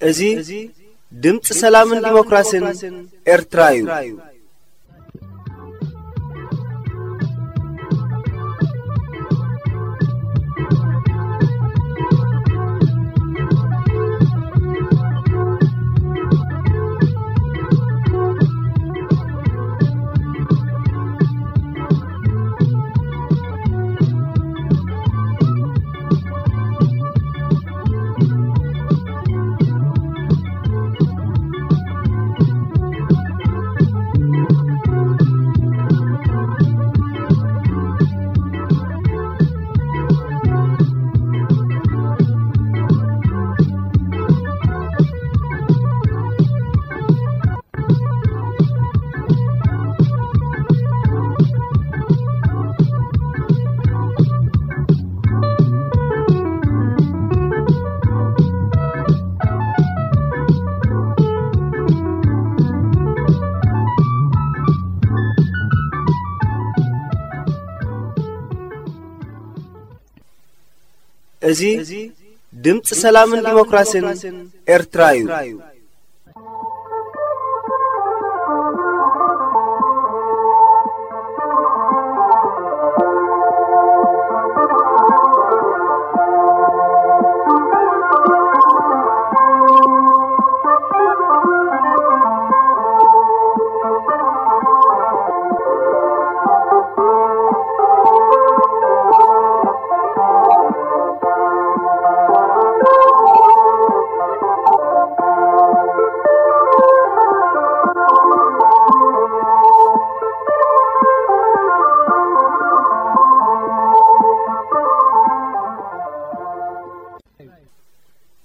እዚ ድምፂ ሰላምን ዲሞክራሲን ኤርትራ እዩ። እዚ ድምፂ ሰላምን ዲሞክራሲን ኤርትራ እዩ።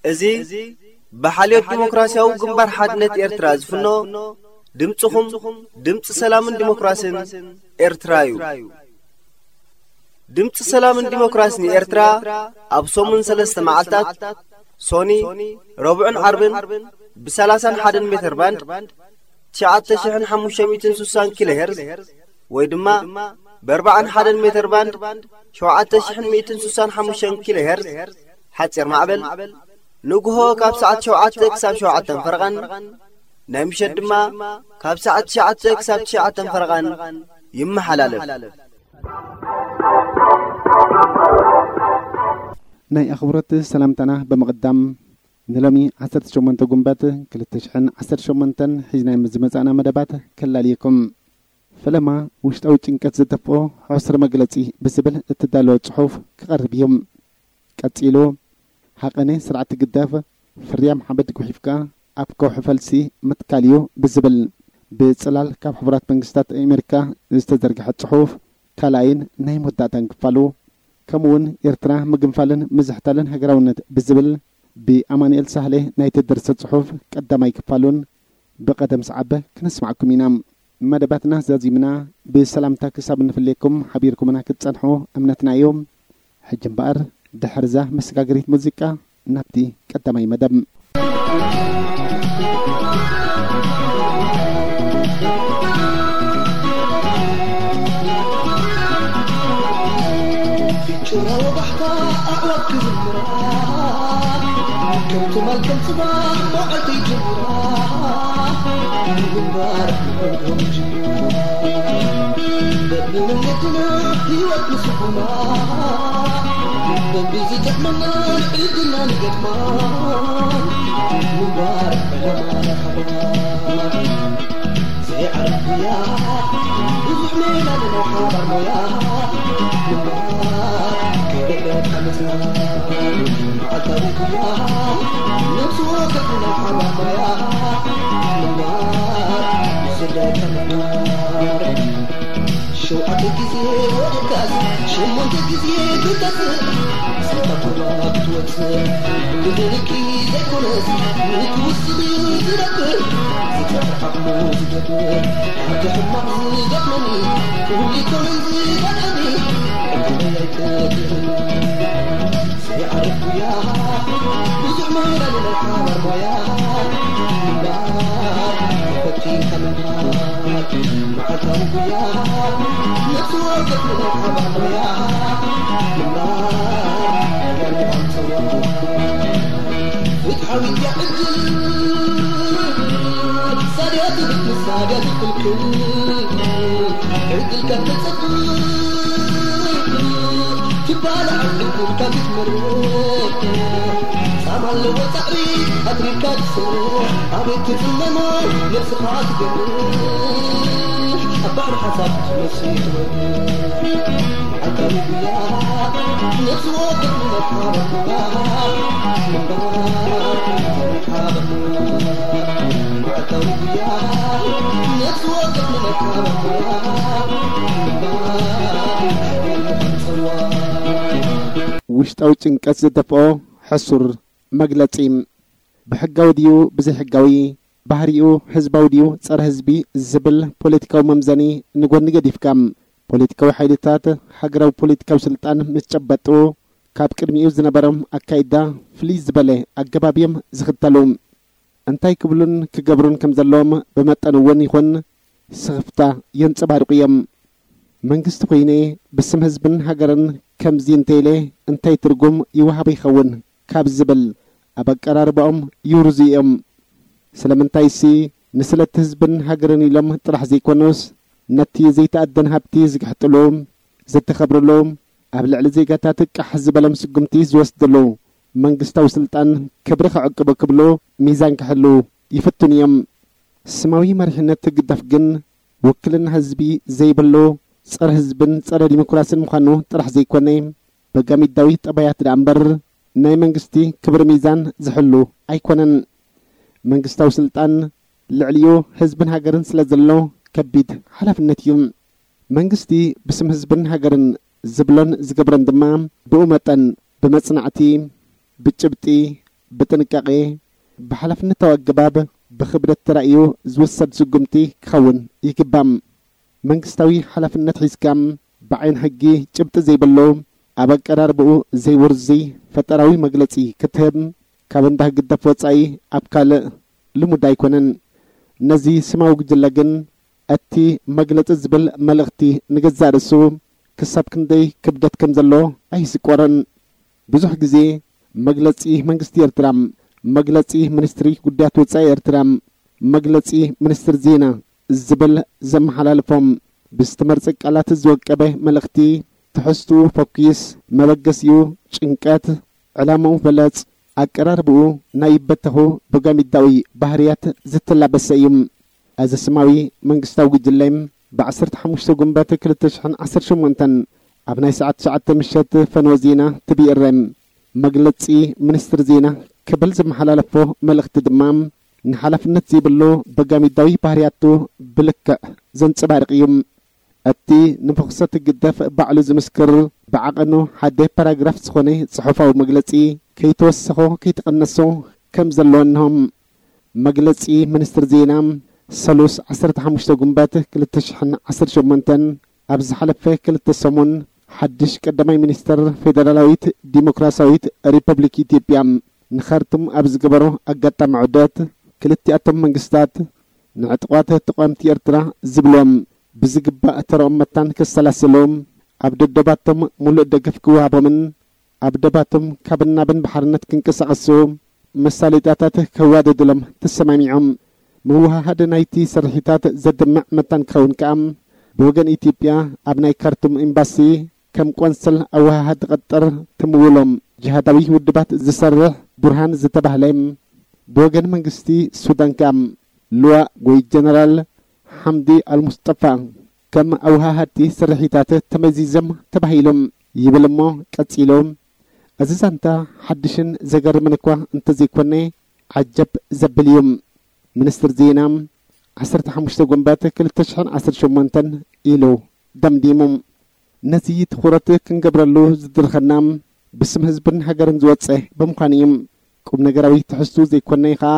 እዚ ብሓልዮት ዲሞክራሲያዊ ግንባር ሓድነት ኤርትራ ዝፍኖ ድምፅኹም ድምፂ ሰላምን ዲሞክራሲን ኤርትራ እዩ። ድምፂ ሰላምን ዲሞክራሲን ኤርትራ ኣብ ሰሙን ሰለስተ መዓልታት ሶኒ፣ ረቡዕን ዓርብን ብ ሰላሳን ሓደን ሜተር ባንድ ትሽዓተ ሽሕን ሓሙሽተ ሚእትን ስሳን ኪሎ ሄርዝ ወይ ድማ ብ ኣርባዓን ሓደን ሜተር ባንድ ሸውዓተ ሽሕን ሚእትን ስሳን ሓሙሽተን ኪሎ ሄርዝ ሓፂር ማዕበል ንግሆ ካብ ሰዓት ሸውዓተ ክሳብ ሸውዓተን ፈረቓን ናይ ምሸት ድማ ካብ ሰዓት ትሽዓተ ክሳብ ትሽዓተን ፈረቓን ይመሓላለፍ። ናይ ኣኽብሮት ሰላምታና ብምቕዳም ንሎሚ ዓሰርተ ሸሞንተ ጉንበት ክልተ ሽሕን ዓሰርተ ሸሞንተን ሒዝናዮም ዝመጻእና መደባት ከላልየኩም። ፈለማ ውሽጣዊ ጭንቀት ዘጠፍኦ ሕሱር መግለጺ ብዝብል እተዳለወ ጽሑፍ ክቐርብ እዩ። ቀጺሉ፣ ሃቐነ ስርዓት ህግደፍ ፍርያም ሓመድ ጉሒፍካ ኣብ ከውሒ ፈልሲ ምትካል እዩ ብዝብል ብጽላል ካብ ሕቡራት መንግስታት ኣሜሪካ ዝተዘርግሐ ጽሑፍ ካልኣይን ናይ መወዳእታን ክፋሉ፣ ከምኡውን ኤርትራ ምግንፋልን ምዝሕታልን ሃገራውነት ብዝብል ብኣማኑኤል ሳህለ ናይ ተደርሰ ጽሑፍ ቀዳማይ ክፋሉን ብቐደም ሰዓብ ክነስማዕኩም ኢና። መደባትና ዛዚምና ብሰላምታ ክሳብ ንፍለየኩም ሓቢርኩምና ክትጸንሑ እምነትና እዩ። ሕጂ እምበኣር ድሕርዛ መሰጋገሪት ሙዚቃ ናብቲ ቀዳማይ መደብ። ጭራ ወባሕታ ኣዕዋፍ ክዝምራ፣ ከም ትማል ከም ጽባሕ መዓልቲ ይጅምራ። ንምንባር ንዕኦም ይጅምራ። በብመንገድና ህይወት ንስኹማ። ብዝጥዕመና ንዕድና ንገጥማ ምንባር ዕላማ ለኸባ ዘይዓረፍያ ብዙሕ ሜላ ንናይ ሓባር ሞያ ምንባር ከይደለ ሓመፅና መዓልታዊ ጉያ ነብሲ ወከፍና ሓባር ሞያ ምንባር ዝደለ ምንባር ሸውዓተ ግዜ ወዲቃስ ሸሞንተ ግዜ ክትጠፍእ ስልካ ቁርባ ክትወፅእ ብደልኪ ዘይኮነስ ንክውስን እዩ ዝነብር ዝጠፍር ዓቕሙ ዝገብር ኣብቲ ሕማቕ ዝገጥመኒ ኩሉ ይኮነን ዝገጥመኒ ዕድለይ ኣይተግርኒ ዘይዓርፍ ጉያ ብዙሕ ምህላል ናይ ሓባር ሞያ ምንባር ተፈቲንካ ምንባር መዓልታዊ ጉያ ነብሲ ወከፍ ናይ ሓባር ሞያ ምንባር ያሉ ኣምፅዋ ፍትሓዊት ዕድል ሳድያ ትብል ሳድያ ትክልክል ዕድል ካብ ተፀብቅ ትባላዕ ዕድል ካብ ትመርቅ ጻማ ኣለዎ ጻዕሪ ኣድሪካ ትሰርሕ ኣቤት ትጽመሞ ነብስኻ ትገርሕ ኣብ ባሕሪ ሓሳብ ትመስል ትወርድ መዓልታዊ ጉያ ነብሲ ወከፍ ንመርሓባ ምንባር ምንባር ሓባ ምንባር መዓልታዊ ጉያ ነብሲ ወከፍ ንመርሓባ ምንባር ምንባር ሓባ ምንባር ውሽጣዊ ጭንቀት ዝደፍኦ ሕሱር መግለጺ። ብሕጋዊ ድዩ ብዘይሕጋዊ፣ ባህሪኡ ህዝባዊ ድዩ ጸረ ህዝቢ ዝብል ፖለቲካዊ መምዘኒ ንጎኒ ገዲፍካ፣ ፖለቲካዊ ሓይልታት ሃገራዊ ፖለቲካዊ ስልጣን ምስ ጨበጡ፣ ካብ ቅድሚኡ ዝነበሮም ኣካይዳ ፍልይ ዝበለ ኣገባብ እዮም ዝኽተሉ። እንታይ ክብሉን ክገብሩን ከም ዘለዎም ብመጠን እውን ይኹን ስኽፍታ የንጸባርቑ እዮም። መንግስቲ ኮይነ ብስም ህዝብን ሃገርን ከምዚ እንተኢለ እንታይ ትርጉም ይወሃቦ ይኸውን ካብ ዝብል ኣብ ኣቀራርባኦም ይውርዙ እዮም። ስለምንታይሲ ንስለቲ ህዝብን ሃገርን ኢሎም ጥራሕ ዘይኮኑስ ነቲ ዘይተኣደን ሃብቲ ዝግሕጥሉ፣ ዘተኸብርሉ፣ ኣብ ልዕሊ ዜጋታት ቃሕ ዝበሎም ስጉምቲ ዝወስድሉ መንግስታዊ ስልጣን ክብሪ ክዕቅቡ ክብሉ ሚዛን ክሕሉ ይፍትኑ እዮም። ስማዊ መሪሕነት ህግደፍ ግን ውክልና ህዝቢ ዘይብሉ ጸረ ህዝብን ጸረ ዲሞክራስን ምዃኑ ጥራሕ ዘይኮነ፣ በጋሚዳዊ ጠባያት ደኣ እምበር ናይ መንግስቲ ክብሪ ሚዛን ዝሕሉ ኣይኮነን። መንግስታዊ ስልጣን ልዕሊኡ ህዝብን ሃገርን ስለ ዘሎ ከቢድ ሓላፍነት እዩ። መንግስቲ ብስም ህዝብን ሃገርን ዝብሎን ዝገብሮን ድማ ብኡ መጠን ብመጽናዕቲ፣ ብጭብጢ፣ ብጥንቃቄ፣ ብሓላፍነታዊ ኣገባብ ብኽብደት ተራእዩ ዝውሰድ ስጉምቲ ክኸውን ይግባእ። መንግስታዊ ሓላፍነት ሒዝካ ብዓይኒ ሕጊ ጭብጢ ዘይብሉ ኣብ ኣቀራርባኡ ዘይውርዙይ ፈጠራዊ መግለጺ ክትህብ ካብ እንዳ ህግደፍ ወጻኢ ኣብ ካልእ ልሙድ ኣይኮነን። ነዚ ስማዊ ጉጅለ ግን እቲ መግለጺ ዝብል መልእኽቲ ንገዛእ ርእሱ ክሳብ ክንደይ ክብደት ከም ዘለዎ ኣይስቆሮን። ብዙሕ ግዜ መግለጺ መንግስቲ ኤርትራ፣ መግለጺ ሚኒስትሪ ጉዳያት ወጻኢ ኤርትራ፣ መግለጺ ሚኒስትር ዜና ዝብል ዘመሓላልፎም ብዝተመርጸ ቃላት ዝወቀበ መልእኽቲ ትሕዝትኡ ፈኲስ፣ መበገሲኡ ጭንቀት፣ ዕላማኡ በለጽ፣ ኣቀራርብኡ ናይ ይበተኹ በጋሚዳዊ ባህርያት ዝተላበሰ እዩ። እዚ ስማዊ መንግስታዊ ጉጅለ ብ ዓሰርተ ሓሙሽተ ጉንበት ክልተ ሽሕን ዓሰርተ ሸሞንተን ኣብ ናይ ሰዓት ትሽዓተ ምሸት ፈነወ ዜና ትቢእረ መግለጺ ሚኒስትሪ ዜና ክብል ዝመሓላለፎ መልእኽቲ ድማ ንሓላፍነት ዘይብሉ በጋሚዳዊ ባህርያቱ ብልክዕ ዘንጸባርቕ እዩ። እቲ ንፍኹሰት ግደፍ ባዕሉ ዝምስክር ብዓቐኑ ሓደ ፓራግራፍ ዝኾነ ጽሑፋዊ መግለጺ ከይተወሰኾ ከይተቐነሶ ከም ዘለዎ እንሆ። መግለጺ ሚኒስትሪ ዜና ሰሉስ ዓሰርተ ሓሙሽተ ጉንበት ክልተ ሽሕን ዓሰርተ ሸሞንተን ኣብ ዝሓለፈ ክልተ ሰሙን ሓድሽ ቀዳማይ ሚኒስትር ፌደራላዊት ዲሞክራሲያዊት ሪፐብሊክ ኢትዮጵያ ንኻርቱም ኣብ ዝገበሮ ኣጋጣሚ ዑደት ክልቲኣቶም መንግስታት ንዕጡቓት ተቓወምቲ ኤርትራ ዝብሎም ብዝግባእ ተረኦም መታን ከሰላስሉ ኣብ ደደባቶም ሙሉእ ደገፍ ክወሃቦምን ኣብ ደባቶም ካብን ናብን ብሓርነት ክንቀሳቐሱ መሳለጥያታት ከዋደድሎም ተሰማሚዖም። ምውሃሃድ ናይቲ ስርሒታት ዘድምዕ መታን ክኸውን ከኣ ብወገን ኢትዮጵያ ኣብ ናይ ካርቱም ኤምባሲ ከም ቆንስል ኣወሃሃዲ ቀጠር ትምውሎም ጅሃዳዊ ውድባት ዝሰርሕ ቡርሃን ዝተባህለ፣ ብወገን መንግስቲ ሱዳን ከኣ ልዋእ ወይ ጀነራል ሓምዲ ኣልሙስጠፋ ከም ኣወሃሃድቲ ስርሒታት ተመዚዞም ተባሂሎም ይብል እሞ ቀጺሉ፣ እዚ ዛንታ ሓድሽን ዘገርምን እኳ እንተዘይኮነ፣ ዓጀብ ዘብል እዩ። ሚኒስትር ዜና፣ ዓሰርተ ሓሙሽተ ጉንበት ክልተ ሽሕን ዓሰርተ ሸሞንተን ኢሉ ደምዲሙ። ነዚ ትኹረት ክንገብረሉ ዝድርኸና ብስም ህዝብን ሃገርን ዝወጸ ብምዃኑ እዩ። ቁም ነገራዊ ትሕዝቱ ዘይኮነ ከኣ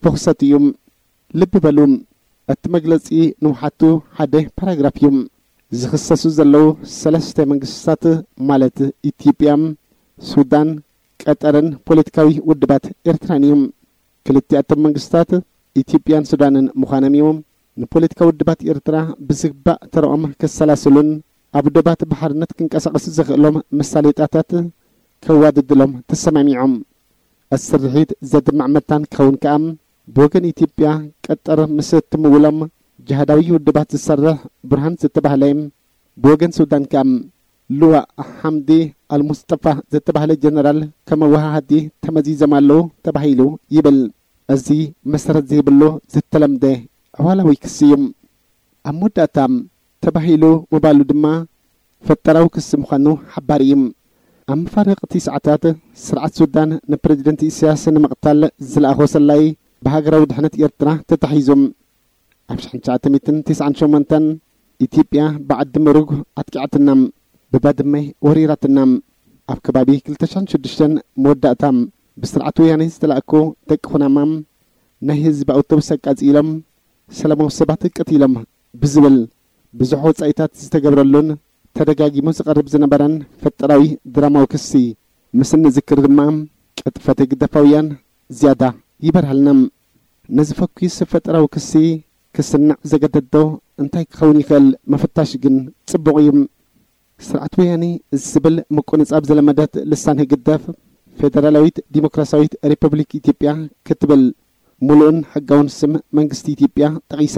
ፍኹሰት እዩ። ልቢ በሉ፣ እቲ መግለጺ ንውሓቱ ሓደ ፓራግራፍ እዩ። ዝኽሰሱ ዘለዉ ሰለስተ መንግስታት ማለት ኢትዮጵያ፣ ሱዳን፣ ቀጠርን ፖለቲካዊ ውድባት ኤርትራን እዮም። ክልቲኣቶም መንግስታት ኢትዮጵያን ሱዳንን ምዃኖም እዩ። ንፖለቲካዊ ውድባት ኤርትራ ብዝግባእ ተረኦም ከሰላስሉን ኣብ ዶባት ብሓርነት ክንቀሳቐሱ ዘኽእሎም መሳለጥያታት ከዋድድሎም ተሰማሚዖም። እቲ ስርሒት ዘድምዕ መታን ክኸውን ከኣ ብወገን ኢትዮጵያ ቀጠር ምስ እትምውሎም ጅሃዳዊ ውድባት ዝሰርሕ ቡርሃን ዝተባህለ፣ ብወገን ሱዳን ከኣ ልዋእ ሓምዲ ኣልሙስጠፋ ዝተባህለ ጀነራል ከም ኣወሃሃዲ ተመዚዞም ኣለዉ ተባሂሉ ይብል። እዚ መሰረት ዘይብሉ ዝተለምደ ዕዋላዊ ክሲ እዩ። ኣብ መወዳእታ ተባሂሉ ምባሉ ድማ ፈጠራዊ ክሲ ምዃኑ ሓባሪ እዩ። ኣብ መፋርቕ እቲ ሰዓታት ስርዓት ሱዳን ንፕረዚደንት ኢሳያስ ንምቕታል ዝለኣኾ ሰላይ ብሃገራዊ ድሕነት ኤርትራ ተታሒዙ። ኣብ ሽሕን ትሽዓተ ሚእትን ትስዓን ሸሞንተን ኢትዮጵያ ብዓዲ ምሩግ ኣጥቂዓትና፣ ብባድመ ወሪራትና። ኣብ ከባቢ ክልተ ሽሕን ሽዱሽተን መወዳእታ ብስርዓት ወያነ ዝተላእኩ ደቂ ኩናማ ናይ ህዝቢ ኣውቶቡስ ኣቃጺሎም ሰላማዊ ሰባት ቀቲሎም ብዝብል ብዙሕ ወጻኢታት ዝተገብረሉን ተደጋጊሙ ዝቐርብ ዝነበረን ፈጠራዊ ድራማዊ ክሲ ምስ እንዝክር ድማ ቅጥፈት ግደፋውያን ዝያዳ ይበርሃልና። ነዚ ፈኲስ ፈጠራዊ ክሲ ክስንዕ ዘገደዶ እንታይ ክኸውን ይኽእል ምፍታሽ ግን ጽቡቕ እዩ። ስርዓት ወያኔ ዝብል ምቁንጻብ ዝለመደት ልሳን ህግደፍ ፌደራላዊት ዲሞክራሲያዊት ሪፐብሊክ ኢትዮጵያ ክትብል ምሉእን ሕጋውን ስም መንግስቲ ኢትዮጵያ ጠቒሳ።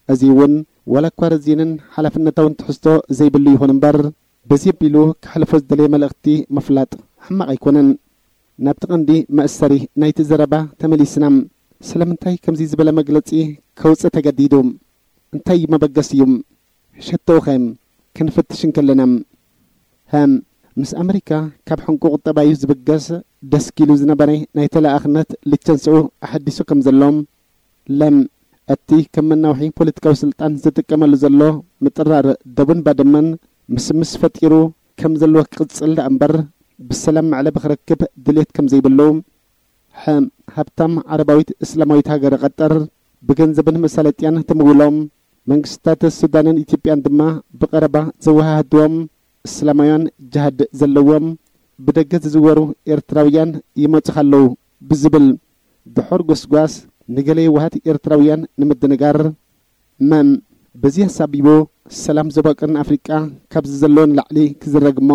እዚ እውን ዋላ እኳ ረዚንን ሓላፍነታውን ትሕዝቶ ዘይብሉ ይኹን እምበር፣ በዚ ኣቢሉ ከሕልፎ ዝደለየ መልእኽቲ ምፍላጥ ሕማቕ ኣይኮነን። ናብቲ ቀንዲ መእሰሪ ናይቲ ዘረባ ተመሊስና። ስለምንታይ ከምዚ ዝበለ መግለጺ ከውጽእ ተገዲዱ? እንታይ እዩ መበገሲኡ? ሸቶኡኸ ክንፍትሽ እንከለና፣ ሃም፣ ምስ ኣመሪካ ካብ ሕንቁቕ ጠባዩ ዝብገስ ደስኪሉ ዝነበረ ናይ ተለኣኣኽነት ልቸንስኡ ኣሐዲሱ ከም ዘሎ፣ ለም፣ እቲ ከም መናውሒ ፖለቲካዊ ስልጣን ዝጥቀመሉ ዘሎ ምጥራር ደቡን ባድመን ምስምስ ፈጢሩ ከም ዘለዎ ክቕጽል ደኣ እምበር ብሰላም መዕለቢ ክረክብ ድሌት ከም ዘይብሉ፣ ሐ፣ ሃብታም ዓረባዊት እስላማዊት ሃገር ቀጠር ብገንዘብን መሳለጥያን ትምውሎም መንግስታት ሱዳንን ኢትዮጵያን ድማ ብቐረባ ዘወሃህድዎም እስላማውያን ጅሃድ ዘለዎም ብደገ ዝዝወሩ ኤርትራውያን ይመጹኻ ኣለዉ ብዝብል ድሑር ጎስጓስ ንገለ የዋሃት ኤርትራውያን ንምድንጋር፣ መም፣ በዚ ኣሳቢቡ ሰላም ዞባ ቀርኒ ኣፍሪቃ ካብዚ ዘሎ ንላዕሊ ክዝረግ እሞ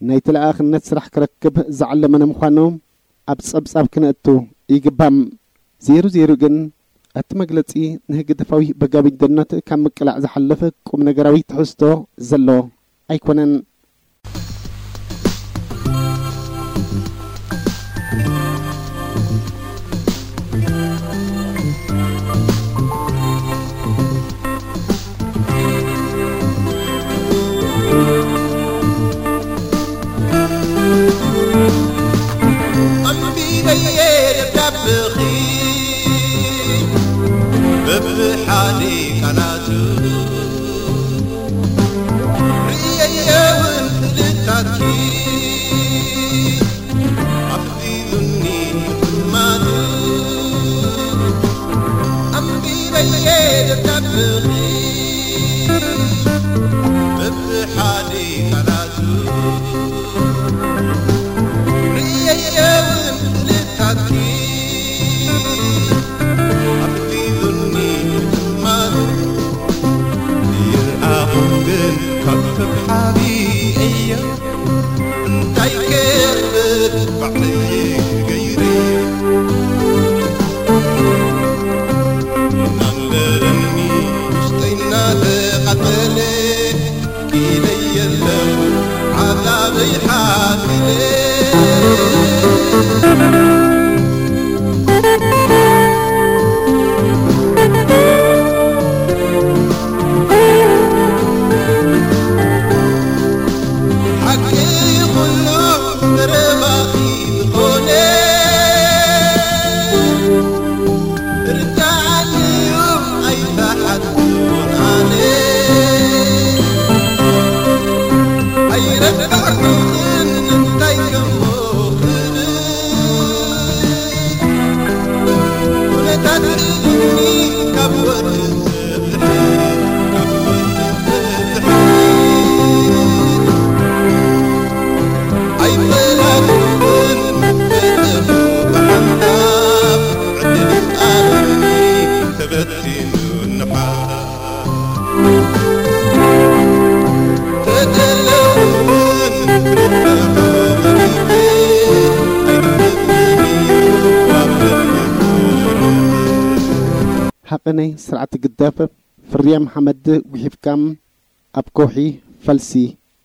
ናይ ተለኣኣኽነት ስራሕ ክረክብ ዝዓለመ ንምዃኑ ኣብ ጸብጻብ ክነእቱ ይግባእ። ዜሩ ዜሩ ግን፣ እቲ መግለጺ ንህግደፋዊ በጋዊደነት ካብ ምቅላዕ ዝሓልፍ ቁም ነገራዊ ትሕዝቶ ዘሎ ኣይኮነን። ኣንቢበየ ደብዳብኺ በብሓደ ቃላቱ፣ ርእየየ እውን ስእልታትኪ ኣፍዚዙኒ ሕማቱ። ኣንቢበየ ደብዳብኺ በብሓደ ቃላቱ፣ ርእየየ እውን ስእልታትኪ ኣፍዚዙኒ ሕማቱ። ይርኣኹም ግን ካብ ሰብ ሓቢኤዮ እንታይ ክብል ባዕለይ ገይረዮ። እናንደደኒ ውሽጠይ እናተቓጸለ፣ ኢለይ የለኹ ናይ ስርዓት ግደፍ ፍርያም ሓመድ ጉሒፍካ ኣብ ከውሒ ፈልሲ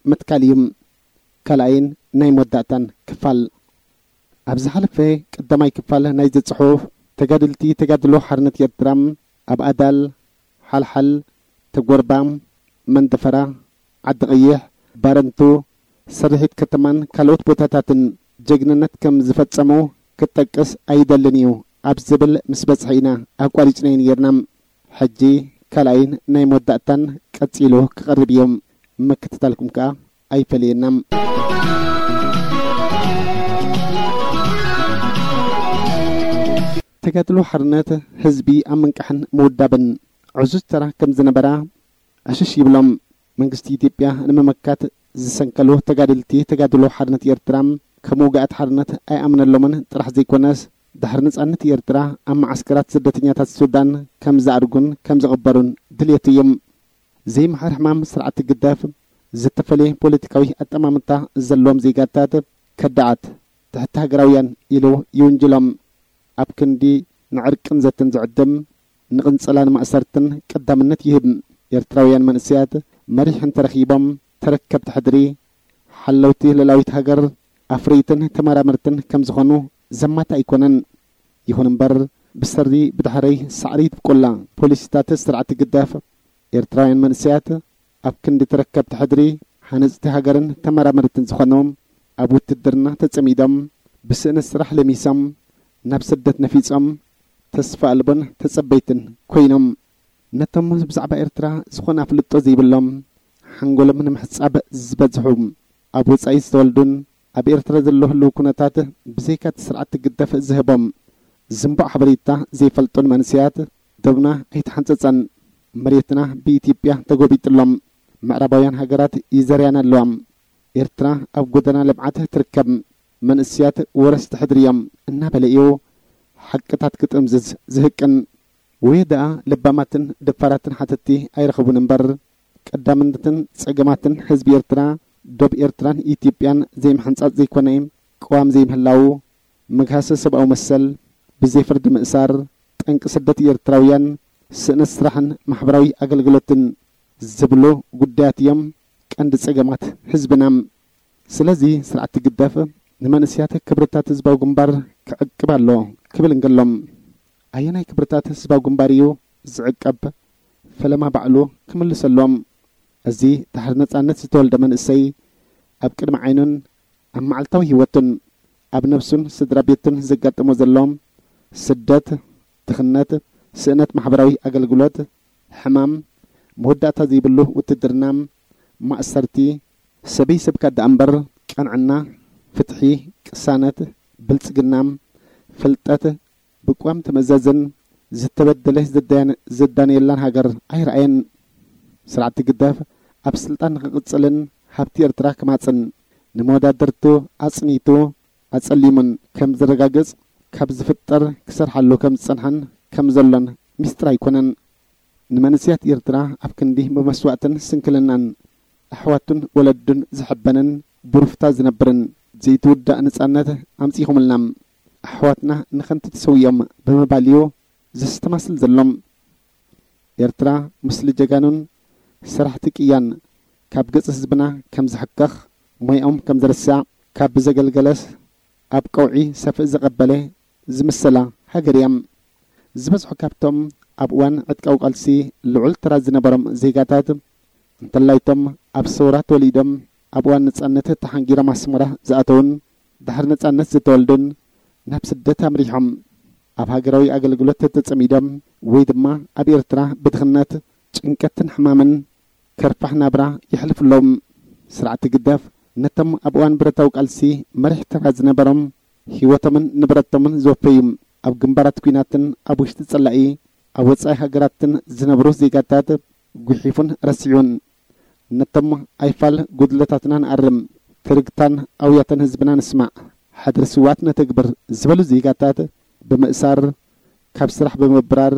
ምትካል እዩ። ካልኣይን ናይ መወዳእታን ክፋል። ኣብ ዝሓለፈ ቀዳማይ ክፋል ናይዚ ጽሑፍ፣ ተጋደልቲ ተጋድሎ ሓርነት ኤርትራ ኣብ ኣዳል፣ ሓልሓል፣ ተጎርባ፣ መንደፈራ፣ ዓዲ ቀይሕ፣ ባረንቱ፣ ስርሒት ከተማን ካልኦት ቦታታትን ጀግንነት ከም ዝፈጸሙ ክጠቅስ ኣይደልን እዩ ኣብ ዝብል ምስ በጽሐ ኢና ኣቋሪጽናዮ ነይርና። ሕጂ ካልኣይን ናይ መወዳእታን ቀጺሉ ክቐርብ እዩ። ምክትታልኩም ከኣ ኣይፈለየና። ተጋድሎ ሓርነት ህዝቢ ኣብ ምንቃሕን ምውዳብን ዕዙዝ ተራ ከም ዝነበራ ዕሽሽ ይብሎም። መንግስቲ ኢትዮጵያ ንምምካት ዝሰንከሉ ተጋደልቲ ተጋድሎ ሓርነት ኤርትራ ከም ውግኣት ሓርነት ኣይኣምነሎምን ጥራሕ ዘይኮነስ፣ ድሕሪ ነጻነት ኤርትራ ኣብ መዓስከራት ስደተኛታት ሱዳን ከም ዝኣርጉን ከም ዝቕበሩን ድልየቱ እዩ። ዘይምሕር ሕማም ስርዓት ግዳፍ ዝተፈለየ ፖለቲካዊ ኣጠማምታ ዘለዎም ዜጋታት ከዳዓት ትሕቲ ሃገራውያን ኢሉ ይውንጅሎም። ኣብ ክንዲ ንዕርቅን ዘተን ዝዕድም፣ ንቕንጸላን ማእሰርትን ቀዳምነት ይህብ። ኤርትራውያን መንእሰያት መሪሕ እንተረኺቦም ተረከብቲ ሕድሪ፣ ሓለውቲ ልእላዊት ሃገር፣ ኣፍረይትን ተመራመርትን ከም ዝኾኑ ዘማታ ኣይኮነን። ይኹን እምበር፣ ብሰሪ ብዳሕረይ ሳዕሪ ይትብቁላ ፖሊሲታት ስርዓት ግዳፍ፣ ኤርትራውያን መንእሰያት ኣብ ክንዲ ተረከብቲ ሕድሪ፣ ሃነጽቲ ሃገርን ተመራመርትን ዝኾኑ፣ ኣብ ውትድርና ተጸሚዶም፣ ብስእነት ስራሕ ለሚሶም፣ ናብ ስደት ነፊጾም፣ ተስፋ ኣልቦን ተጸበይትን ኮይኖም። ነቶም ብዛዕባ ኤርትራ ዝኾነ ኣፍልጦ ዘይብሎም፣ ሓንጎሎም ንምሕጻብ ዝበዝሑ፣ ኣብ ወጻኢ ዝተወልዱን ኣብ ኤርትራ ዘሎ ህልው ኩነታት ብዘይካ እቲ ስርዓት ግደፍ ዝህቦም ዝንቡዕ ሓበሬታ ዘይፈልጡን መንእሰያት፣ ዶብና ኣይተሓንጸጸን። መሬትና ብኢትዮጵያ ተጎቢጥሎም። ምዕራባውያን ሃገራት ይዘርያና ኣለዋ። ኤርትራ ኣብ ጎደና ልምዓት ትርከብ። መንእሰያት ወረስቲ ሕድሪ እዮም እናበለ እዩ ሓቅታት ክጥምዝዝ ዝህቅን። ወይ ደኣ ለባማትን ደፋራትን ሓተቲ ኣይረኸቡን እምበር፣ ቀዳምነትን ጸገማትን ህዝቢ ኤርትራ፣ ዶብ ኤርትራን ኢትዮጵያን ዘይምሕንጻጽ ዘይኮነ፣ ቅዋም ዘይምህላው፣ ምግሃሰ ሰብኣዊ መሰል፣ ብዘይ ፍርዲ ምእሳር፣ ጠንቂ ስደት ኤርትራውያን፣ ስእነት ስራሕን ማሕበራዊ ኣገልግሎትን ዝብሉ ጉዳያት እዮም ቀንዲ ጸገማት ህዝብና። ስለዚ ስርዓት ግደፍ ንመንእሰያት ክብርታት ህዝባዊ ግንባር ክዕቅብ ኣሎ ክብል እንከሎም፣ ኣየናይ ክብርታት ህዝባዊ ግንባር እዩ ዝዕቀብ? ፈለማ ባዕሉ ክምልሰሎም። እዚ ድሕሪ ነጻነት ዝተወልደ መንእሰይ ኣብ ቅድሚ ዓይኑን ኣብ መዓልታዊ ህይወቱን ኣብ ነብሱን ስድራ ቤቱን ዘጋጥሞ ዘሎ ስደት፣ ድኽነት፣ ስእነት ማሕበራዊ ኣገልግሎት፣ ሕማም፣ መወዳእታ ዘይብሉ ውትድርና፣ ማእሰርቲ፣ ሰበይ ሰብካ ደኣ እምበር፣ ቅንዕና፣ ፍትሒ፣ ቅሳነት፣ ብልጽግና፣ ፍልጠት፣ ብቅዋም ትምእዘዝን ዝተበደለ ዝዳን-፣ ዝዳነየላን ሃገር ኣይረኣየን። ስርዓት ግደፍ ኣብ ስልጣን ንኽቕጽልን ሃብቲ ኤርትራ ክማጽን ንመወዳድርቱ ኣጽኒቱ ኣጸሊሙን ከም ዝረጋገጽ ካብ ዝፍጠር ክሰርሓሉ ከም ዝጸንሓን ከም ዘሎን ሚስጥር ኣይኮነን። ንመንእሰያት ኤርትራ ኣብ ክንዲ ብመስዋእትን ስንክልናን ኣሕዋቱን ወለዱን ዝሕበንን ብሩፍታ ዝነብርን ዘይትውዳእ ነጻነት ኣምጺኹምልና። ኣሕዋትና ንኸንቱ ተሰዊኦም ብምባል እዩ ዘስተማስል ዘሎም። ኤርትራ ምስሊ ጀጋኑን ሰራሕቲ ቅያን ካብ ገጽ ህዝብና ከም ዝሕከኽ፣ ሞያኦም ከም ዝርሳዕ፣ ካብ ብዘገልገለስ ኣብ ቀውዒ ሰፍእ ዘቐበለ ዝምሰላ ሃገር እያ። ዝበዝሑ ካብቶም ኣብ እዋን ዕጥቃዊ ቃልሲ ልዑል ተራ ዝነበሮም ዜጋታት፣ እንተላይቶም ኣብ ሰውራ ተወሊዶም ኣብ እዋን ነጻነት ተሓንጊሮም ኣስመራ ዝኣተውን ድሕሪ ነጻነት ዝተወልዱን ናብ ስደት ኣምሪሖም ኣብ ሃገራዊ ኣገልግሎት ተጸሚዶም ወይ ድማ ኣብ ኤርትራ ብድኽነት፣ ጭንቀትን ሕማምን ከርፋሕ ናብራ የሕልፉ ኣለዉ። ስርዓት ግደፍ ነቶም ኣብ እዋን ብረታዊ ቃልሲ መሪሕ ተራ ዝነበሮም ህይወቶምን ንብረቶምን ዘወፈዩ ኣብ ግንባራት ኲናትን ኣብ ውሽጢ ጸላኢ ኣብ ወጻኢ ሃገራትን ዝነብሩ ዜጋታት ጉሒፉን ረሲዑን። ነቶም ኣይፋል ጉድለታትና ንኣርም፣ ትርግታን ኣውያተን ህዝብና ንስማዕ፣ ሕድሪ ስውኣት ነተግብር ዝበሉ ዜጋታት ብምእሳር፣ ካብ ስራሕ ብምብራር፣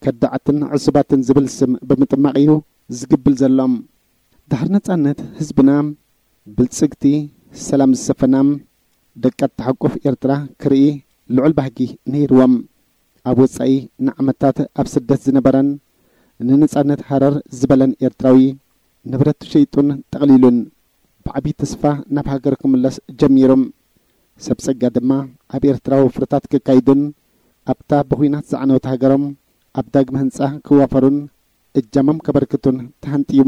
ከዳዓትን ዕሱባትን ዝብል ስም ብምጥማቕ እዩ ዝግብል ዘሎ። ድሕሪ ነጻነት ህዝብና ብልጽግቲ፣ ሰላም ዝሰፈና፣ ደቃ እትሓቁፍ ኤርትራ ክርኢ ልዑል ባህጊ ነይርዎም። ኣብ ወጻኢ ንዓመታት ኣብ ስደት ዝነበረን ንነጻነት ሃረር ዝበለን ኤርትራዊ፣ ንብረቱ ሸይጡን ጠቕሊሉን ብዓቢ ተስፋ ናብ ሃገር ክምለስ ጀሚሩ። ሰብ ጸጋ ድማ ኣብ ኤርትራ ወፍርታት ከካይዱን ኣብታ ብኹናት ዝዓነወት ሃገሮም ኣብ ዳግመ ህንጻ ክዋፈሩን እጃሞም ከበርክቱን ተሃንጥዩ።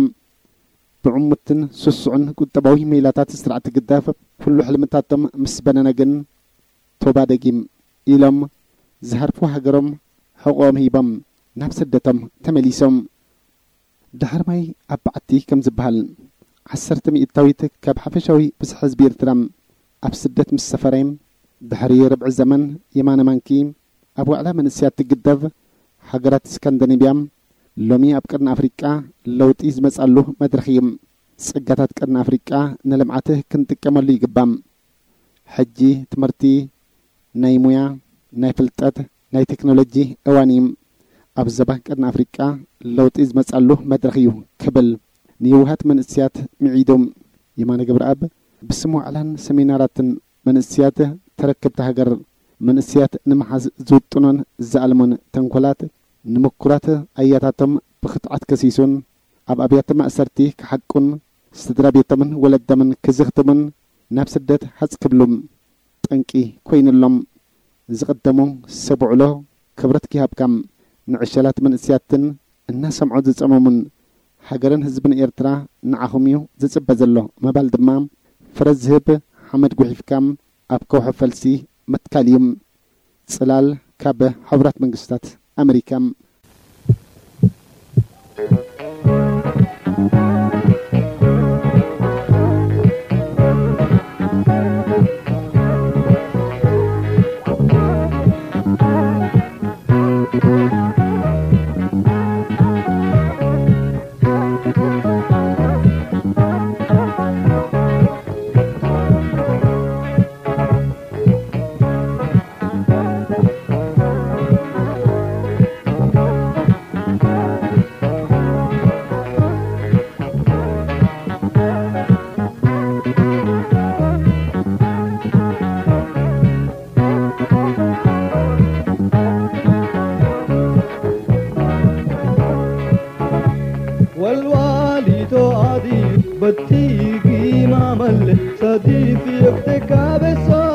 ብዕሙትን ስሱዕን ቁጠባዊ ሜላታት ስርዓት ህግደፍ ኩሉ ሕልምታቶም ምስ በነነ ግን፣ ቶባ ደጊም ኢሎም ዝሃርፉ ሃገሮም ሕቖኦም ሂቦም ናብ ስደቶም ተመሊሶም። ድሕሪ ማይ ኣብ በዓቲ ከም ዝበሃል፣ ዓሰርተ ሚእታዊት ካብ ሓፈሻዊ ብዝሒ ህዝቢ ኤርትራ ኣብ ስደት ምስ ሰፈረ፣ ድሕሪ ርብዒ ዘመን የማነ ማንኪ ኣብ ዋዕላ መንእሰያት ትግደፍ፣ ሃገራት ስካንዲኔቭያ ሎሚ ኣብ ቀርኒ ኣፍሪቃ ለውጢ ዝመጻሉ መድረኽ እዩ። ጸጋታት ቀርኒ ኣፍሪቃ ንልምዓት ክንጥቀመሉ ይግባእ። ሕጂ ትምህርቲ፣ ናይ ሞያ፣ ናይ ፍልጠት፣ ናይ ቴክኖሎጂ እዋን እዩ። ኣብ ዞባ ቀርኒ ኣፍሪቃ ለውጢ ዝመጻሉ መድረኽ እዩ ክብል ንየውሃት መንእሰያት ምዒዱ። የማነ ገብረኣብ ብስም ዋዕላን ሰሚናራትን መንእሰያት ተረከብቲ ሃገር፣ መንእሰያት ንምሓዝ ዝውጥኖን ዝኣልሞን ተንኮላት ንምኩራት ኣያታቶም ብኽትዓት ከሲሱን ኣብ ኣብያተ ማእሰርቲ ክሓቁን ስድራ ቤቶምን ወለዶምን ክዝኽትሙን ናብ ስደት ሃጽ ክብሉ ጠንቂ ኮይኑሎም። ዝቕደሙ ሰብ ውዕሎ ክብረት ይሃብካ። ንዕሸላት መንእሰያትን እናሰምዑ ዝጸመሙን ሃገርን ህዝብን ኤርትራ ንዓኹም እዩ ዝጽበ ዘሎ ምባል ድማ ፍረ ዝህብ ሓመድ ጉሒፍካ ኣብ ከውሒ ፈልሲ ምትካል እዩ። ጽላል ካብ ሕቡራት መንግስታት ኣመሪካ። والوالي تعادي بتيجي مع ملك صديق يكتك عبسه.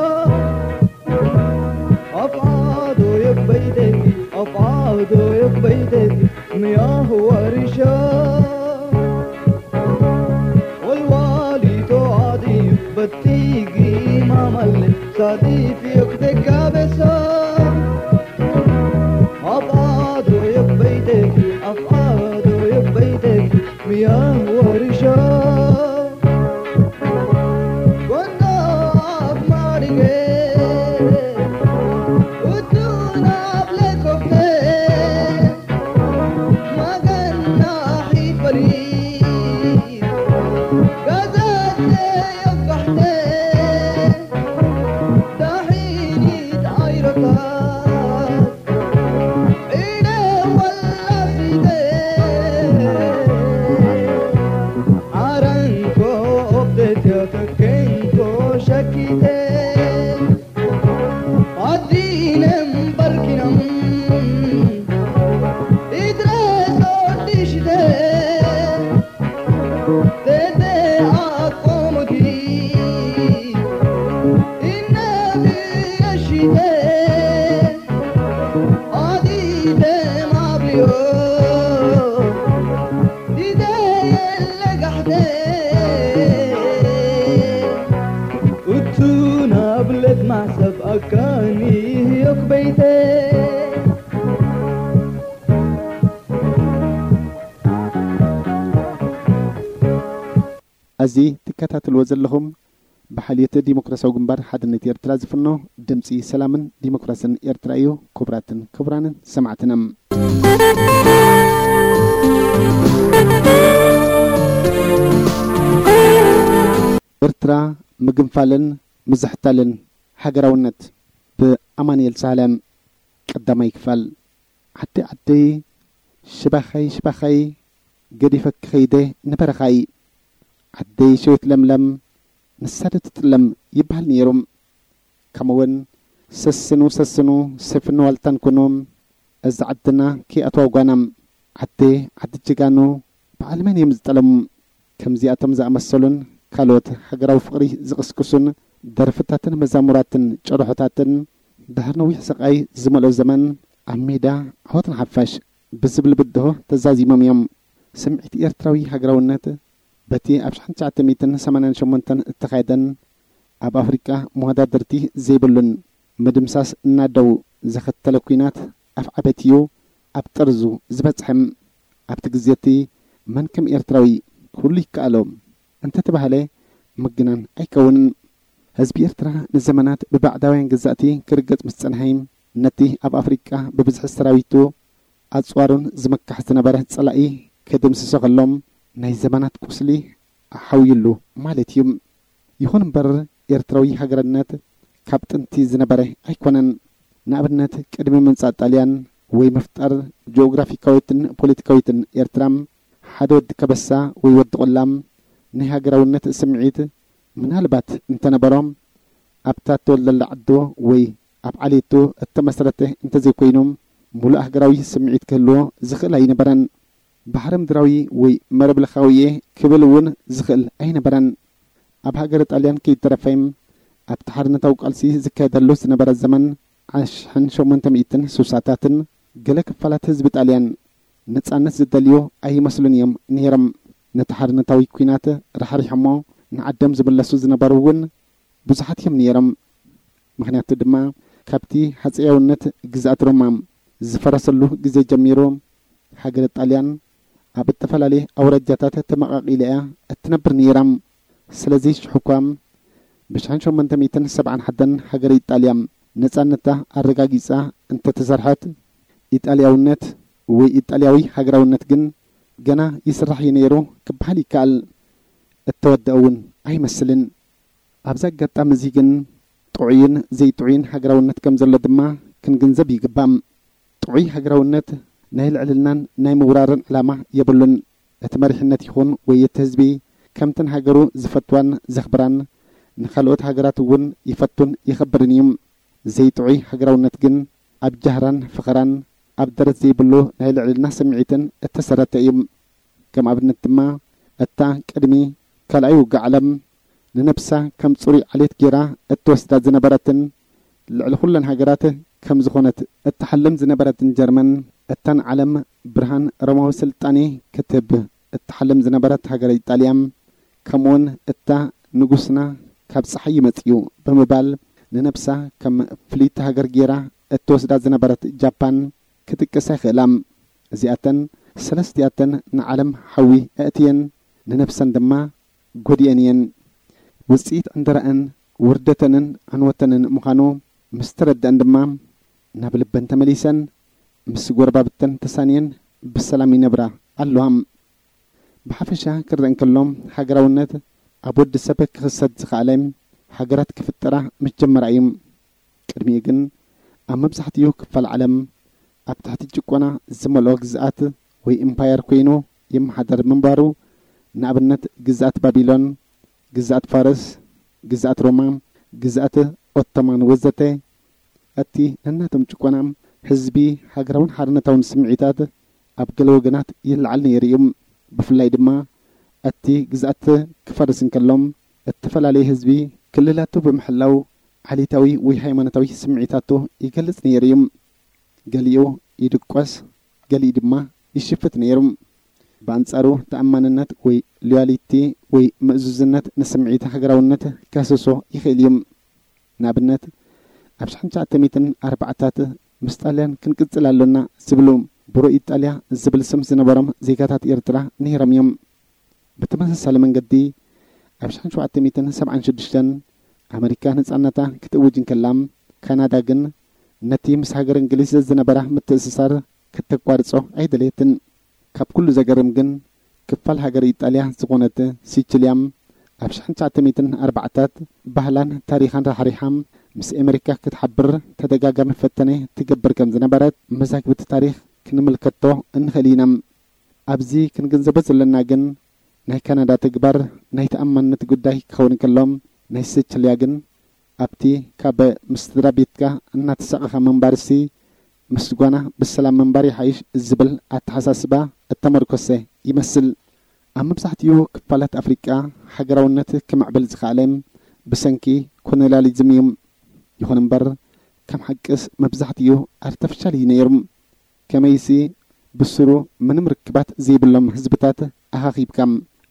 أفعادو يبيدك، أفعادو يبيدك، مياه ورشا. والوالي توعدي بتيجي ما ملك، صديف يكتك كابسة. أفعادو يبيدك، أفعادو يبيدك، مياه ورشا. ዓረንኮ ኦብደት ያተከንኮ ሸኪተ ኣዲነም በርኪኖም ኢድረስ ኦዲሽተ ተተ ኣቆሙቲ ኢነብረሽተ ኣዲደም ኣብልዮ እቱ ናብለት ማሕሰብ ኣካኒ ህዮክ በይተ። እዚ ትከታተልዎ ዘለኹም ብሓልዮት ዲሞክራሲያዊ ግንባር ሓድነት ኤርትራ ዝፍኖ ድምፂ ሰላምን ዲሞክራስን ኤርትራ እዩ። ክቡራትን ክቡራንን ሰማዕትና፣ ኤርትራ ምግንፋልን ምዝሕታልን ሃገራውነት ብኣማኑኤል ሳህለ። ቀዳማይ ክፋል። ዓደይ ዓደይ ሽባኸይ ሽባኸይ ገዲፈኪ ኸይደ ንበረኻይ። ዓደይ ሸዊት ለምለም ንሳ ዶ ትጥለም ይበሃል ነይሩ። ከምኡውን ሰስኑ ሰስኑ ሰፍን ዋልታን ኩኑ እዛ ዓድና ከይኣትዋ ጓና። ዓደየ ዓዲ ጀጋኑ በዓል መን እዮም ዝጠለሙ? ከምዚኣቶም ዝኣመሰሉን ካልኦት ሃገራዊ ፍቕሪ ዝቕስቅሱን ደርፍታትን መዛሙራትን ጭርሖታትን ድሕሪ ነዊሕ ስቓይ ዝመልኦ ዘመን ኣብ ሜዳ ዓወት ንሓፋሽ ብዝብል ብድሆ ተዛዚሞም እዮም። ስምዒት ኤርትራዊ ሃገራውነት በቲ ኣብ ሽሕን ትሽዓተ ሚእትን ሰማንያን ሸሞንተን እተኻየደን ኣብ ኣፍሪቃ መወዳድርቲ ዘይብሉን ምድምሳስ እናደው ዘኸተለ ኲናት ኣፍዓበት እዩ ኣብ ጠርዙ ዝበጽሐ። ኣብቲ ግዜ እቲ መን ከም ኤርትራዊ ኩሉ ይከኣሎ እንተተባህለ ምግናን ኣይከውንን። ህዝቢ ኤርትራ ንዘመናት ብባዕዳውያን ገዛእቲ ክርገጽ ምስ ጸንሐ፣ ነቲ ኣብ ኣፍሪቃ ብብዝሒ ሰራዊቱ ኣጽዋሩን ዝምካሕ ዝነበረ ጸላኢ ክድምስሶ ከሎ ናይ ዘመናት ቁስሊ ኣሓውዩሉ ማለት እዩ። ይኹን እምበር ኤርትራዊ ሃገርነት ካብ ጥንቲ ዝነበረ ኣይኮነን። ንኣብነት ቅድሚ ምምጻእ ጣልያን ወይ ምፍጣር ጂኦግራፊካዊትን ፖለቲካዊትን ኤርትራ ሓደ ወዲ ከበሳ ወይ ወዲ ቆላም ናይ ሃገራውነት ስምዒት ምናልባት እንተነበሮም ኣብታ እተወልደላ ዓዶ ወይ ኣብ ዓሌቱ እተመስረተ እንተዘይኮይኑ፣ ሙሉእ ሃገራዊ ስምዒት ክህልዎ ዝኽእል ኣይነበረን። ባሕሪ ምድራዊ ወይ መረብ ለኻዊ እየ ክብል እውን ዝኽእል ኣይነበረን። ኣብ ሃገረ ጣልያን ከይተረፈ ኣብቲ ሓርነታዊ ቃልሲ ዝካየደሉ ዝነበረ ዘመን ኣሽሕን ሸሞንተ ሚእትን ስሳታትን ገለ ክፋላት ህዝቢ ጣልያን ነጻነት ዝደልዩ ኣይመስሉን እዮም ነይሮም። ነቲ ሓርነታዊ ኲናት ራሕሪሖሞ ንዓዶም ዝምለሱ ዝነበሩ እውን ብዙሓት እዮም ነይሮም። ምኽንያቱ ድማ ካብቲ ሃጸያውነት ግዝኣት ሮማ ዝፈረሰሉ ግዜ ጀሚሩ ሃገረ ጣልያን ኣብ እተፈላለየ ኣውራጃታት ተመቓቒላ እያ እትነብር ነይራ። ስለዚ ሽሕ እኳ ብሽሕን ሸሞንተ ሚእትን ሰብዓን ሓደን ሃገረ ኢጣልያ ነጻነታ ኣረጋጊጻ እንተተሰርሐት፣ ኢጣልያውነት ወይ ኢጣልያዊ ሃገራውነት ግን ገና ይስራሕ እዩ ነይሩ ክበሃል ይከኣል። እተወደአ እውን ኣይመስልን። ኣብዚ ኣጋጣሚ እዚ ግን ጥዑይን ዘይጥዑይን ሃገራውነት ከም ዘሎ ድማ ክንግንዘብ ይግባእ። ጥዑይ ሃገራውነት ናይ ልዕልናን ናይ ምውራርን ዕላማ የብሉን። እቲ መሪሕነት ይኹን ወይ እቲ ህዝቢ ከምተን ሃገሩ ዝፈትዋን ዘኽብራን ንኻልኦት ሃገራት እውን ይፈቱን የኽብርን እዩ። ዘይጥዑይ ሃገራውነት ግን ኣብ ጃህራን ፈኸራን ኣብ ደረት ዘይብሉ ናይ ልዕልና ስምዒትን እተሰረተ እዩ። ከም ኣብነት ድማ እታ ቅድሚ ካልኣይ ውግእ ዓለም ንነብሳ ከም ጽሩይ ዓሌት ጌራ እትወስዳ ዝነበረትን ልዕሊ ኩለን ሃገራት ከም ዝኾነት እትሓልም ዝነበረትን ጀርመን፣ እታ ንዓለም ብርሃን ሮማዊ ስልጣኔ ክትህብ እትሓልም ዝነበረት ሃገረ ኢጣልያ፣ ከምኡውን እታ ንጉስና ካብ ጸሓይ ይመጽእ እዩ ብምባል ንነብሳ ከም ፍልይቲ ሃገር ጌራ እትወስዳ ዝነበረት ጃፓን ክጥቀሳ ይኽእላ። እዚኣተን ሰለስቲኣተን ንዓለም ሓዊ ኣእትየን ንነብሰን ድማ ጎዲኤን እየን። ውጽኢት ዕንደራኣን ውርደተንን ዕንወተንን ምዃኑ ምስ ተረድኣን ድማ ናብ ልበን ተመሊሰን ምስ ጎረባብተን ተሳንየን ብሰላም ይነብራ ኣለዋ። ብሓፈሻ ክረአ እንከሎ ሃገራውነት ኣብ ወዲ ሰብ ክኽሰት ዝኸኣለ ሃገራት ክፍጠራ ምስ ጀመራ እዩ። ቅድሚኡ ግን ኣብ መብዛሕትኡ ክፋል ዓለም ኣብ ትሕቲ ጭቆና ዝመልኦ ግዝኣት ወይ ኢምፓየር ኮይኑ ይመሓደር ምንባሩ፣ ንኣብነት ግዝኣት ባቢሎን፣ ግዝኣት ፋርስ፣ ግዝኣት ሮማ፣ ግዝኣት ኦቶማን ወዘተ፣ እቲ ነናቶም ጭቆና ህዝቢ ሃገራውን ሓርነታውን ስምዒታት ኣብ ገለ ወገናት ይለዓል ነይሩ እዩ። ብፍላይ ድማ እቲ ግዝኣት ክፈርስ እንከሎ እተፈላለየ ህዝቢ ክልላቱ ብምሕላው ዓሌታዊ ወይ ሃይማኖታዊ ስምዒታቱ ይገልጽ ነይሩ እዩ። ገሊኡ ይድቆስ፣ ገሊኡ ድማ ይሽፍት ነይሩ። ብኣንጻሩ ተኣማንነት ወይ ሎያሊቲ ወይ ምእዙዝነት ንስምዒት ሃገራውነት ከህስሶ ይኽእል እዩ። ንኣብነት ኣብ ሽሕን ትሽዓተ ሚእትን ኣርባዓታት ምስ ጣልያን ክንቅጽል ኣሎና ዝብሉ ብሮ ኢጣልያ ዝብል ስም ዝነበሮም ዜጋታት ኤርትራ ነይሮም እዮም። ብተመሳሳሊ መንገዲ ኣብ ሽሕን ሸውዓተ ሚእትን ሰብዓን ሽዱሽተን ኣመሪካ ነጻነታ ክትእውጅ እንከላ፣ ካናዳ ግን ነቲ ምስ ሃገር እንግሊዝ ዝነበራ ምትእስሳር ክተቋርጾ ኣይደለየትን። ካብ ኩሉ ዘገርም ግን ክፋል ሃገር ኢጣልያ ዝኾነት ሲቺልያ ኣብ ሽሕን ትሽዓተ ሚእትን ኣርባዓታት ባህላን ታሪኻን ራሕሪሓ ምስ ኣመሪካ ክትሓብር ተደጋጋሚ ፈተነ ትገብር ከም ዝነበረት መዛግብቲ ታሪኽ ክንምልከቶ እንኽእል ኢና። ኣብዚ ክንግንዘቦ ዘለና ግን ናይ ካናዳ ተግባር ናይ ተኣማንነት ጉዳይ ክኸውን ከሎ፣ ናይ ሲቺልያ ግን ኣብቲ ካብ ምስ ስድራ ቤትካ እናተሳቐኻ ምንባርሲ ምስ ጓና ብሰላም ምንባር ይሓይሽ ዝብል ኣተሓሳስባ እተመርኮሰ ይመስል። ኣብ መብዛሕትኡ ክፋላት ኣፍሪቃ ሃገራውነት ክምዕብል ዝኸኣለ ብሰንኪ ኮሎኒያሊዝም እዩ። ይኹን እምበር፣ ከም ሓቅስ መብዛሕትኡ ኣርተፊሻል እዩ ነይሩ። ከመይሲ ብስሩ ምንም ርክባት ዘይብሎም ህዝብታት ኣኻኺብካ፣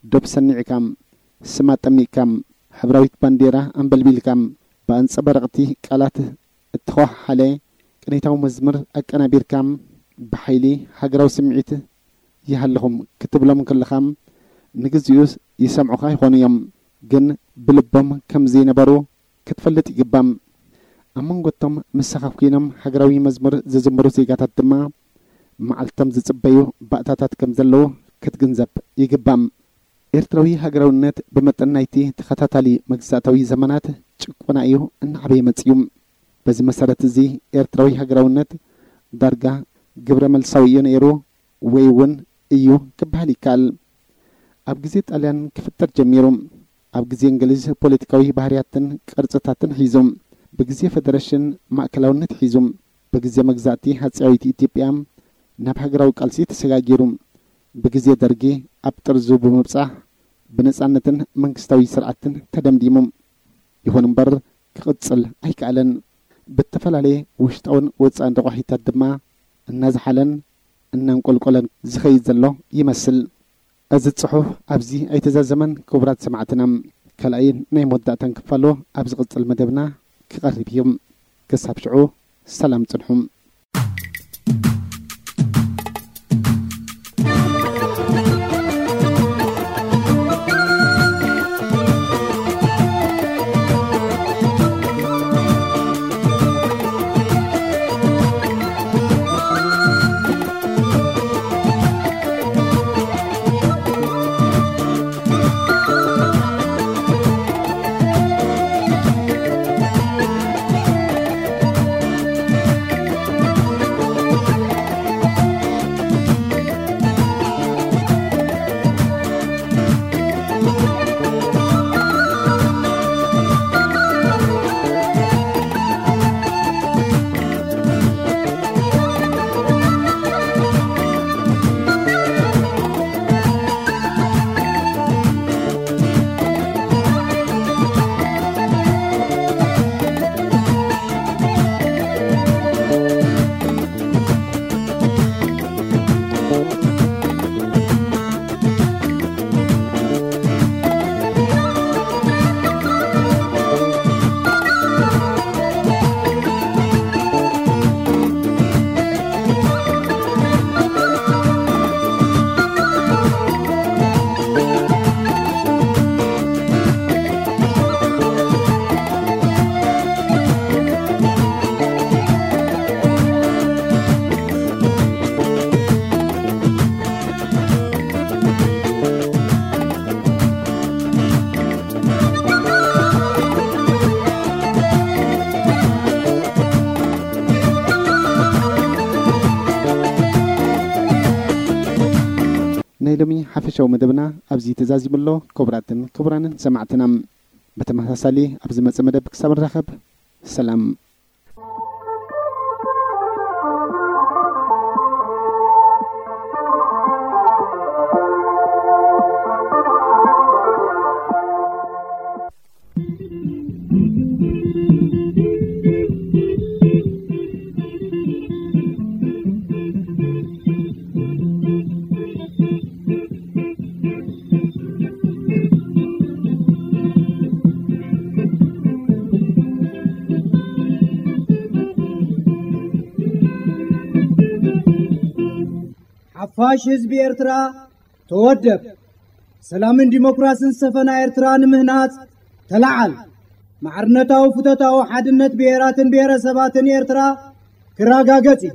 ዶብ ሰኒዕካ፣ ስም ኣጠሚቕካ፣ ሕብራዊት ባንዴራ ኣንበልቢልካ፣ ብኣንጸባረቕቲ ቃላት እተኸሓለ ቅኔታዊ መዝሙር ኣቀናቢርካ፣ ብሓይሊ ሃገራዊ ስምዒት ይሃልኹም ክትብሎም ከለኻ፣ ንግዚኡስ ይሰምዑኻ ይኾኑ እዮም፣ ግን ብልቦም ከም ዘይነበሩ ክትፈልጥ ይግባእ። ኣብ መንጎ እቶም ምሳኻ ኮይኖም ሃገራዊ መዝሙር ዝዝምሩ ዜጋታት ድማ፣ መዓልቶም ዝጽበዩ ባእታታት ከም ዘለዉ ክትግንዘብ ይግባእ። ኤርትራዊ ሃገራውነት ብመጠን ናይቲ ተኸታታሊ መግዛእታዊ ዘመናት ጭቆና እዩ እናዓበየ መጺኡ። በዚ መሰረት እዚ፣ ኤርትራዊ ሃገራውነት ዳርጋ ግብረ መልሳዊ እዩ ነይሩ፣ ወይ እውን እዩ ክበሃል ይከኣል። ኣብ ግዜ ጣልያን ክፍጠር ጀሚሩ። ኣብ ግዜ እንግሊዝ ፖለቲካዊ ባህርያትን ቅርጽታትን ሒዙ። ብግዜ ፈደረሽን ማእከላውነት ሒዙ። ብግዜ መግዛእቲ ሃጸያዊት ኢትዮጵያ ናብ ሃገራዊ ቃልሲ ተሰጋጊሩ። ብግዜ ደርጊ ኣብ ጥርዙ ብምብጻሕ ብነጻነትን መንግስታዊ ስርዓትን ተደምዲሙ። ይኹን እምበር ክቕጽል ኣይከኣለን። ብተፈላለየ ውሽጣውን ወጻእን ረቋሒታት ድማ እናዝሓለን እናንቆልቆለን ዝኸይድ ዘሎ ይመስል። እዚ ጽሑፍ ኣብዚ ኣይተዛዘመን። ክቡራት ሰማዕትና፣ ካልኣይን ናይ መወዳእታን ክፋሉ ኣብ ዝቕጽል መደብና ክቐርብ እዩ። ክሳብ ሽዑ ሰላም ጽንሑ። ናይ ሎሚ ሓፈሻዊ መደብና ኣብዚ ተዛዚሙ ኣሎ። ክቡራትን ክቡራንን ሰማዕትና፣ ብተመሳሳሊ ኣብ ዝመጽእ መደብ ክሳብ ንራኸብ፣ ሰላም። ሓፋሽ ህዝቢ ኤርትራ፣ ተወደብ። ሰላምን ዲሞክራስን ዝሰፈና ኤርትራ ንምህናጽ ተለዓል። ማዕርነታዊ ፍቶታዊ ሓድነት ብሄራትን ብሄረሰባትን ኤርትራ ክረጋገጽ እዩ።